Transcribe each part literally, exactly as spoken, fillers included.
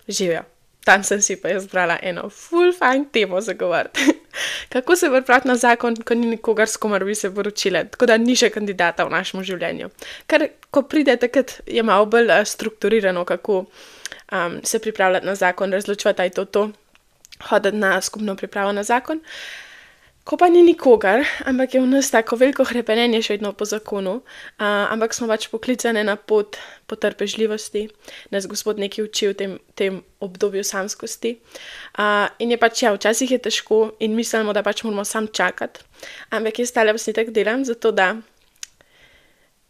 Živijo. Tam sem si pa jaz zbrala eno ful fajn temo za govoriti. Kako se pripraviti na zakon, ko ni nikogar, s komer bi se poročile, tako da ni še kandidata v našem življenju. Ker ko pride takrat, je malo bolj uh, strukturirano, kako um, se pripravljati na zakon, razločevati, aj to to, hoditi na skupno pripravo na zakon. Ko pa ni nikogar, ampak je v nas tako veliko hrepenenje še vedno po zakonu, uh, ampak smo pač poklicane na pot potrpežljivosti, nas Gospod nekaj uči v tem, tem obdobju samskosti. Uh, in je pač, ja, včasih je težko in mislimo, da pač moramo sam čakati, ampak jaz tale posnetek delam zato, da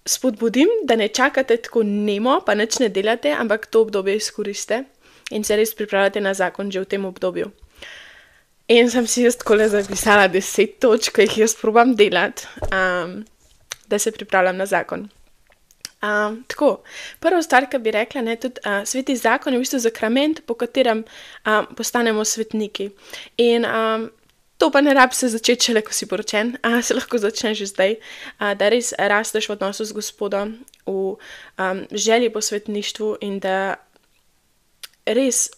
spodbudim, da ne čakate tako nemo, pa nič ne delate, ampak to obdobje izkoriste in se res pripravljate na zakon že v tem obdobju. In sem si jaz takole zapisala deset točk, ki jih jaz probam delati, um, da se pripravljam na zakon. Um, tako, prvo stvar, ki bi rekla, ne, tudi uh, sveti zakon je v bistvu sakrament, po katerem um, postanemo svetniki. In um, to pa ne rabi se začeti šele, ko si poročen, uh, se lahko začne že zdaj, uh, da res rasteš v odnosu z Gospodom, v um, želji po svetništvu in da res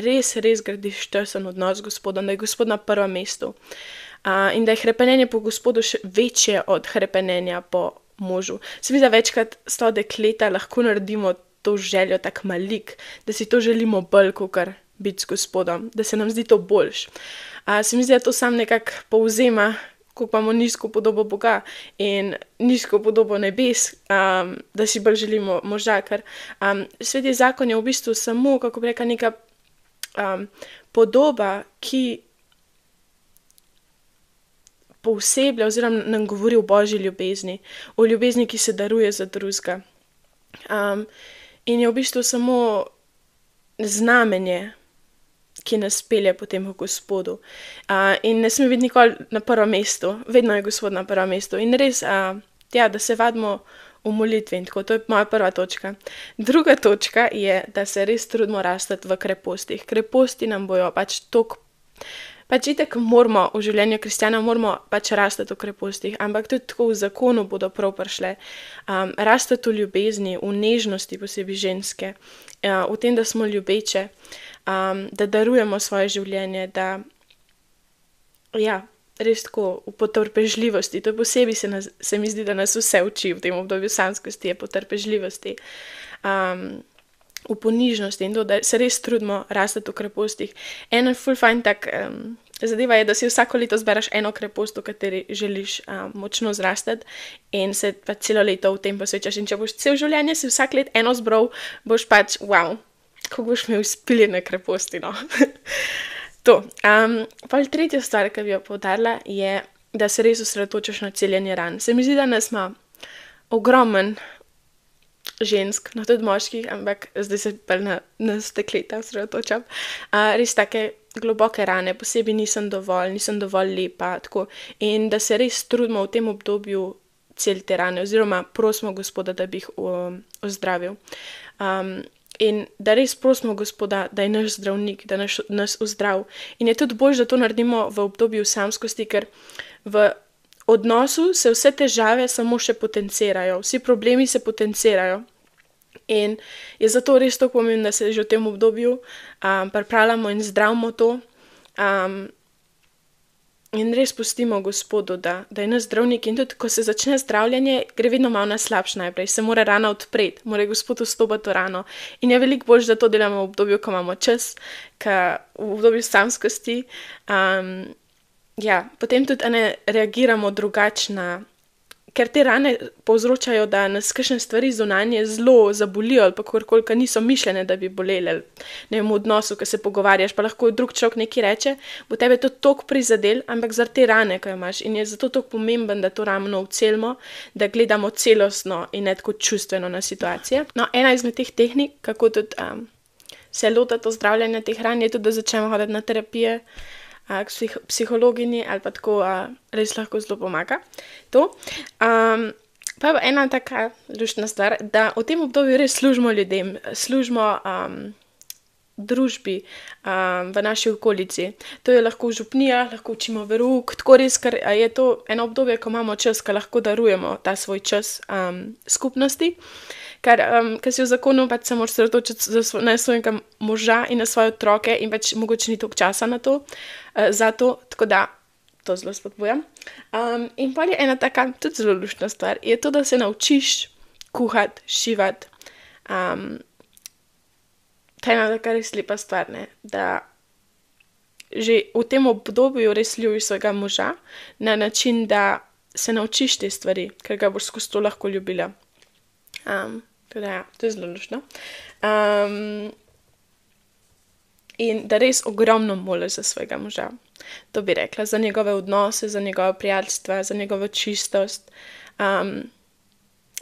res, res gradiš tesen odnos z Gospodom, da je Gospod na prvem mestu uh, in da je hrepenenje po Gospodu še večje od hrepenenja po možu. Se mi zdi, da večkrat s to dekleta lahko naredimo to željo tak malik, da si to želimo bolj, kakor biti s Gospodom, da se nam zdi to boljš. Uh, se mi zdi, da to sam nekako povzema, ko imamo nizko podobo Boga in nizko podobo nebes, um, da si bolj želimo moža, ker um, sveti zakon je v bistvu samo, kako bi rekla, neka Um, podoba, ki pooseblja oziroma nam govori o božji ljubezni, o ljubezni, ki se daruje za drugega. Um, in je v bistvu samo znamenje, ki nas pelje potem v Gospodu. Uh, in ne sme biti nikoli na prvem mestu, vedno je Gospod na prvem mestu. In res, uh, ja, da se vadimo v molitvi in tako, to je moja prva točka. Druga točka je, da se res trudimo rastati v krepostih. Kreposti nam bojo pač tok, pač itak moramo v življenju kristjana, moramo pač rastati v krepostih, ampak tudi tako v zakonu bodo prav prišle. Um, rastati v ljubezni, v nežnosti, posebej ženske, uh, v tem, da smo ljubeče, um, da darujemo svoje življenje, da ja, res tako v potrpežljivosti, to je posebej se, nas, se mi zdi, da nas vse uči v tem obdobju samskosti, je potrpežljivosti, um, v ponižnosti in to, da se res trudimo rastati v krepostih. Eno ful fajn tak um, zadeva je, da si vsako leto zberaš eno krepost, v kateri želiš um, močno zrastati in se pa celo leto v tem posvečaš. In če boš cel življenje si vsak let eno zbral, boš pač, wow, kako boš imel izpiljene kreposti, no. To. Um, pa tretja stvar, ki bi jo poudarila, je, da se res osredotočaš na celjenje ran. Se mi zdi, da nas ima ogromen žensk, no tudi moških, ampak zdaj se pa na, na stekleta osredotočam, uh, res take globoke rane, posebej nisem dovolj, nisem dovolj lepa, tako. In da se res trudimo v tem obdobju celiti te rane, oziroma prosimo Gospoda, da bi jih um, ozdravil. Um, In da res prosimo Gospoda, da je naš zdravnik, da nas, nas ozdrav. In je tudi bolj, da to naredimo v obdobju samskosti, ker v odnosu se vse težave samo še potencirajo, vsi problemi se potencirajo. In je zato res to pomembno, da se že v tem obdobju um, pripravljamo in zdravimo to. Um, In res pustimo Gospodu, da, da je naš zdravnik. In tudi, ko se začne zdravljenje, gre vedno malo na slabše najprej. Se mora rana odpreti, mora Gospod vstopati v rano. In je veliko bolj, da to delamo v obdobju, ko imamo čas, ka v obdobju samskosti. Um, ja, potem tudi ne reagiramo drugačna, ker te rane povzročajo, da nas kakšne stvari zunanje zelo zabolijo ali pa kakorkoli, ki niso mišljene, da bi bolele. Ne vem, v odnosu, ko se pogovarjaš, pa lahko drug človek nekaj reče, bo tebe to toliko prizadel, ampak zaradi te rane, ki jo imaš. In je zato toliko pomemben, da to rano ucelimo, da gledamo celostno in ne tako čustveno na situacije. No, ena izmed teh tehnik, kako tudi um, se lotati ozdravljanja teh ran, je tudi, da začnemo hoditi na terapije, k psih psihologinji ali pa tako a, res lahko zelo pomaga. To. Um, pa ena taka luštna stvar, da v tem obdobju res služimo ljudem, služimo um, družbi, um, v naši okolici. To je lahko v župnijah, lahko učimo verouk, tako res, ker je to eno obdobje, ko imamo čas, ko lahko darujemo ta svoj čas um, skupnosti. Ker, um, ker si v zakonu pač se moraš sredotočiti na svojega moža in na svoje otroke in pač mogoče ni toliko časa na to, uh, za to, tako da to zelo spodbujam. Um, in pa je ena taka tudi zelo luštna stvar, je to, da se naučiš kuhati, šivati. Um, to je ena taka res lepa stvar, ne, da že v tem obdobju res ljubiš svojega moža na način, da se naučiš te stvari, ker ga boš skozi to lahko ljubila. Um, teda ja, to je zelo luštno. Um, in da res ogromno moliš za svojega moža. To bi rekla, za njegove odnose, za njegove prijateljstva, za njegovo čistost. Um,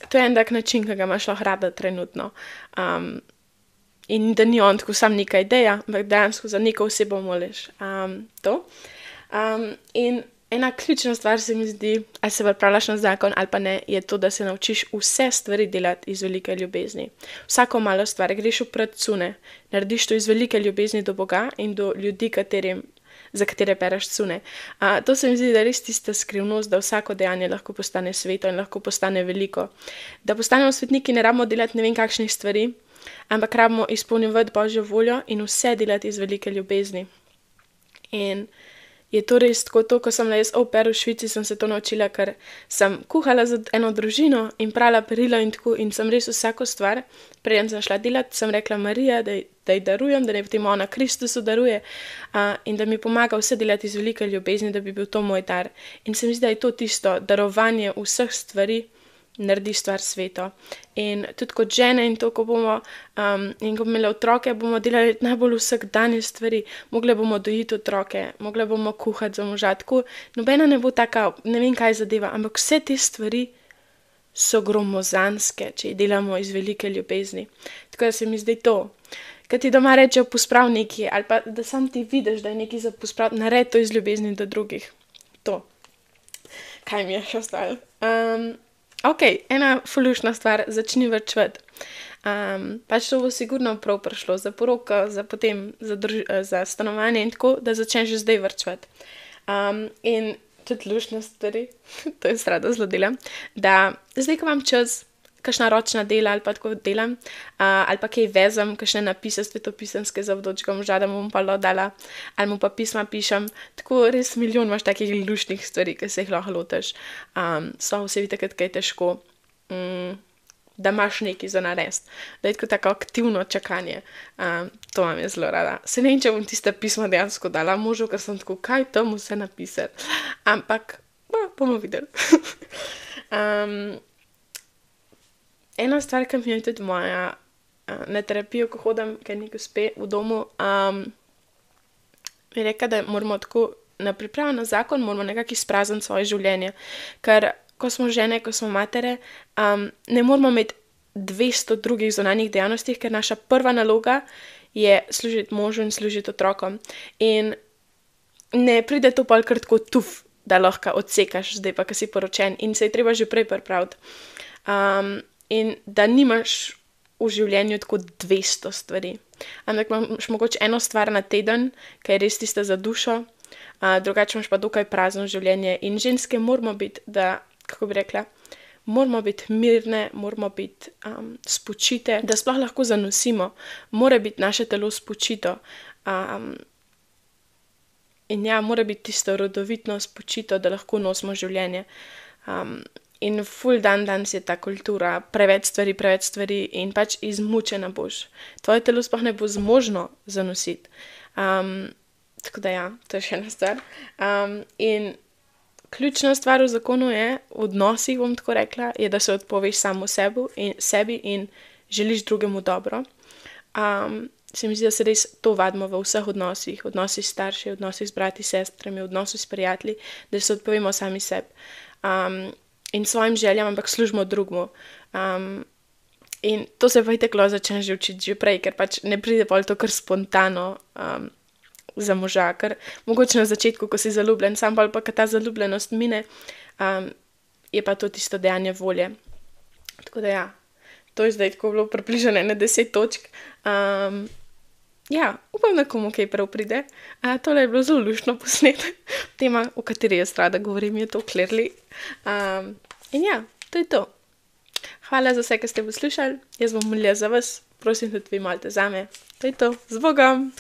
to je en tak način, ki ga imaš lahko rada trenutno. Um, in da ni on tako sam neka ideja, ampak dejansko za neko osebo moliš. Um, to. Um, in ena ključna stvar se mi zdi, ali se pripravljaš na zakon ali pa ne, je to, da se naučiš vse stvari delati iz velike ljubezni. Vsako malo stvar, greš v cune, narediš to iz velike ljubezni do Boga in do ljudi, katerim, za katere bereš cune. Uh, to se mi zdi, da je res tista skrivnost, da vsako dejanje lahko postane sveto in lahko postane veliko. Da postanemo svetniki, ne rabimo delati ne vem kakšnih stvari, ampak rabimo izpolnjevati Božjo voljo in vse delati iz velike ljubezni. In je to res tako to, ko sem bila jaz au pair v Švici, sem se to naučila, ker sem kuhala za eno družino in prala perilo in tako in sem res vsako stvar, preden sem šla delati, sem rekla Marija, da, da ji darujem, da ne potem ona Kristusu daruje uh, in da mi pomaga vse delati iz velike ljubezni, da bi bil to moj dar. In se mi zdi, da je to tisto darovanje vseh stvari, naredi stvar sveto. In tudi kot žene in to, ko bomo um, in ko bomo imeli otroke, bomo delali najbolj vsakdanje stvari. Mogle bomo dojiti otroke, mogle bomo kuhati za moža. Tako, nobena ne bo taka, ne vem kaj zadeva, ampak vse te stvari so gromozanske, če jih delamo iz velike ljubezni. Tako da se mi zdi to. Kad ti doma rečejo posprav nekaj, ali pa da sam ti vidiš, da je nekaj za pospraviti, naredi to iz ljubezni do drugih. To. Kaj mi je še ostalo? Um, Ok, ena fulušna stvar, začni varčevati. Um, pač to bo sigurno prav prišlo za poroko, za potem za, drž za stanovanje in tako, da začneš že zdaj varčevati. Um, in tudi luštne stvari, to je rada zelo delam, da zdaj, ko imam čas, kakšna ročna dela ali pa tako delam, uh, ali pa kaj vezam, kakšne napise svetopisemske za vdočka moža, da mu bom pa dala, ali mu pa pisma pišem, tako res milijon imaš takih luštnih stvari, ki se jih lahko lotiš. Um, so vse takrat, kaj je težko, um, da imaš nekaj za narediti, da je tako tako aktivno čakanje. Um, to vam je zelo rada. Se ne vem, če bom tiste pisma dejansko dala možu, ker sem tako, kaj tam vse napisati. Ampak, no, bomo videli. um, Ena stvar, ki mi je tudi moja uh, na terapijo, ko hodim, ker nekaj uspe v domu, um, je rekla, da moramo tako na pripravo na zakon, moramo nekako izprazniti svoje življenje. Ker ko smo žene, ko smo matere, um, ne moramo imeti dvesto drugih zunanjih dejavnosti, ker naša prva naloga je služiti možu in služiti otrokom. In ne pride to pol kar tako tuf, da lahko odsekaš, zdaj pa, ko si poročen in se je treba že prej pripraviti. Um, In da nimaš v življenju tako dvesto stvari. Ampak imaš mogoče eno stvar na teden, ki je res tista za dušo, uh, drugače imaš pa dokaj prazno življenje. In ženske moramo biti, da, kako bi rekla, moramo biti mirne, moramo biti um, spočite, da sploh lahko zanosimo. Mora biti naše telo spočito. Um, in ja, mora biti tisto rodovitno spočito, da lahko nosimo življenje. Um, In ful dan danes je ta kultura, preveč stvari, preveč stvari in pač izmučena boš. Tvoje telo sploh ne bo zmožno zanositi. Um, tako da ja, to je še ena stvar. Um, in ključna stvar v zakonu je, v odnosih bom tako rekla, je, da se odpoveš samo sebi in, sebi in želiš drugemu dobro. Um, se mi zdi, da se res to vadimo v vseh odnosih, odnosih s starši, odnosih s brati, sestrami, odnosih s prijatelji, da se odpovemo sami sebi. Um, in svojim željam, ampak služimo drugmu. Um, in to se pa iteklo začne že učiti že prej, ker pač ne pride pol to kar spontano um, za moža, ker mogoče na začetku, ko si zaljubljen, sam pa, pa ta zaljubljenost mine, um, je pa to tisto dejanje volje. Tako da ja, to je zdaj tako bilo približene na deset točk. Um, ja, upam, da komu kaj prav pride. Uh, tole je bilo zelo luštno posnet. Tema, o kateri jaz rada govorim, je to clearly. Um, in ja, to je to. Hvala za vse, ki ste poslušali. Jaz bom molila za vas. Prosim, tudi vi molite zame. To je to. Z Bogom!